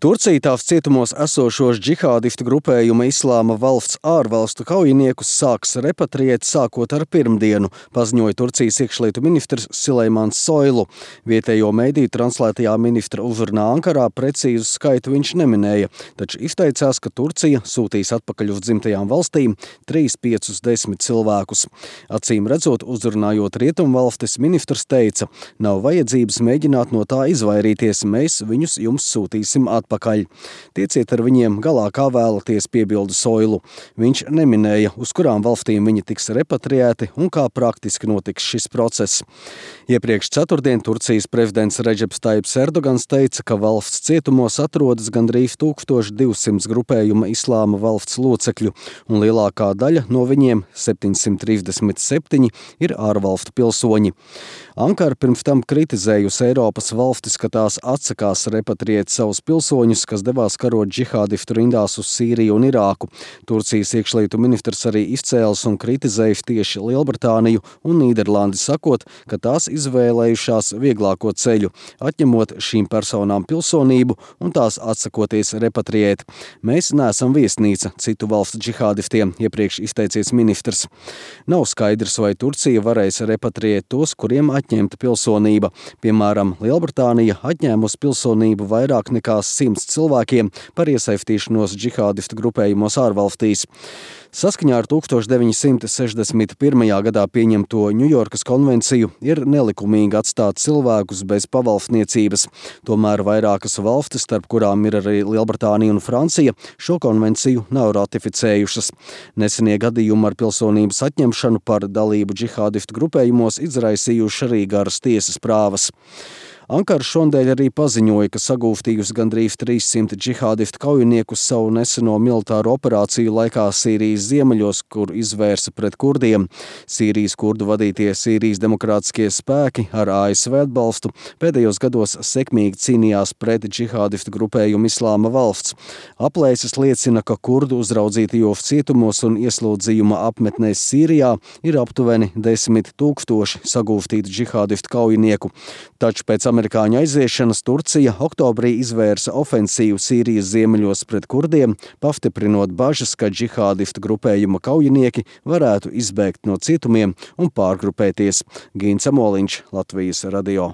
Turcija tās cietumos esošos džihādistu grupējuma Islāma valsts ārvalstu kaujiniekus sāks repatriēt sākot ar pirmdienu, paziņoja Turcijas iekšlietu ministrs Sileimans Soylu. Vietējo mediju translētajā ministra uzrunā Ankarā precīzu skaitu viņš neminēja, taču izteicās, ka Turcija sūtīs atpakaļ uz dzimtajām valstīm 3–5–10 cilvēkus. Acīm redzot, uzrunājot Rietumvalstis, ministrs teica: "Nav vajadzības mēģināt no tā izvairīties, mēs viņus jums sūtīsim atpakaļ. Tieciet ar viņiem galā, kā vēlaties," piebilda Soylu. Viņš neminēja, uz kurām valstīm viņi tiks repatriēti un kā praktiski notiks šis process. Iepriekš ceturtdien Turcijas prezidents Redžeps Tajibs Erdogans teica, ka valsts cietumos atrodas gandrīz 1200 grupējuma Islāma valsts locekļu, un lielākā daļa no viņiem, 737, ir ārvalstu pilsoņi. Ankara pirms tam kritizējusi Eiropas valstis, ka tās atsakās repatriēt savus pilsoņus, kas devās karot džihādistu rindās uz Sīriju un Irāku. Turcijas iekšlietu ministrs arī izcēlis un kritizējis tieši Lielbritāniju un Nīderlandi, sakot, ka tās izvēlējušās vieglāko ceļu, atņemot šīm personām pilsonību un tās atsakoties repatriēt. "Mēs neesam viesnīca citu valstu džihādistiem," iepriekš izteicies ministrs. Nav skaidrs, vai Turcija varēs repatriēt tos, kuriem atņemta pilsonība. Piemēram, Lielbritānija atņēmusi pilsonību vairāk nekā 100 cilvēkiem par iesaistīšanos džihādistu grupējumos ārvalstīs. Saskaņā ar 1961. gadā pieņemto Ņujorkas konvenciju ir nelikumīgi atstāt cilvēkus bez pavalstniecības. Tomēr vairākas valstis, starp kurām ir arī Lielbritānija un Francija, šo konvenciju nav ratificējušas. Nesenie gadījumi ar pilsonības atņemšanu par dalību džihādistu grupējumos izraisījuši arī garas tiesas prāvas. Ankara šonadēļ arī paziņoja, ka sagūstījusi gandrīz 300 džihādistu kaujiniekus savu neseno militāro operāciju laikā Sīrijas ziemeļos, kur izvērsa pret kurdiem. Sīrijas kurdu vadītie Sīrijas demokrātiskie spēki ar ASV atbalstu pēdējos gados sekmīgi cīnījās pret džihādistu grupējumu Islāma valsts. Aplēses liecina, ka kurdu uzraudzītajos cietumos un ieslodzījuma apmetnēs Sīrijā ir aptuveni 10 000 sagūstītu džihādistu kaujinieku. Taču pēc amerikāņu aiziešanas Turcija oktobrī izvērsa ofensīvu Sīrijas ziemeļos pret kurdiem, pastiprinot bažas, ka džihādistu grupējuma kaujinieki varētu izbēgt no cietumiem un pārgrupēties. Gīns Amoliņš, Latvijas radio.